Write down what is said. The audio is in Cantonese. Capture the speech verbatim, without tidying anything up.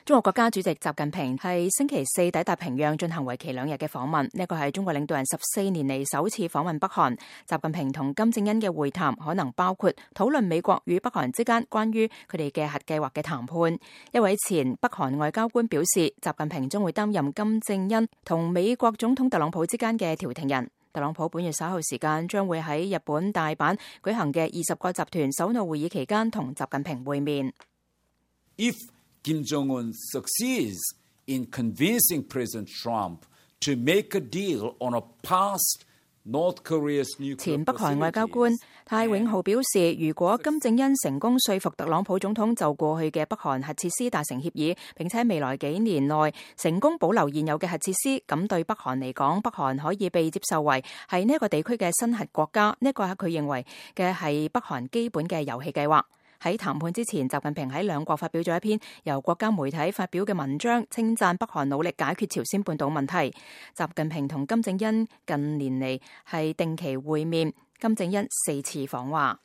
中國國家主席習近平係星期四抵達平壤進行為期兩日嘅訪問，呢個係中國領導人十四年嚟首次訪問北韓。習近平同金正恩嘅會談可能包括討論美國與北韓之間關於佢哋嘅核計劃嘅談判。一位前北韓外交官表示，習近平將會擔任金正恩同美國總統特朗普之間嘅調停人。特朗普本月稍後時間將會喺日本大阪舉行嘅二十國集團首腦會議期間同習近平會面。If Kim Jong-un succeeds in convincing President Trump to make a deal on a past North Korea's nuclear 前北韓外交官泰永浩表示，如果金正恩成功說服特朗普總統就過去嘅北韓核設施達成協議，並且未來幾年內成功保留現有嘅核設施，咁對北韓嚟講，北韓可以被接受為係呢一個地區嘅新核國家。呢一個係佢認為嘅係北韓基本嘅遊戲計劃。喺談判之前，習近平喺兩國發表咗一篇由國家媒體發表嘅文章，稱讚北韓努力解決朝鮮半島問題。習近平同金正恩近年嚟係定期會面，金正恩四次訪華。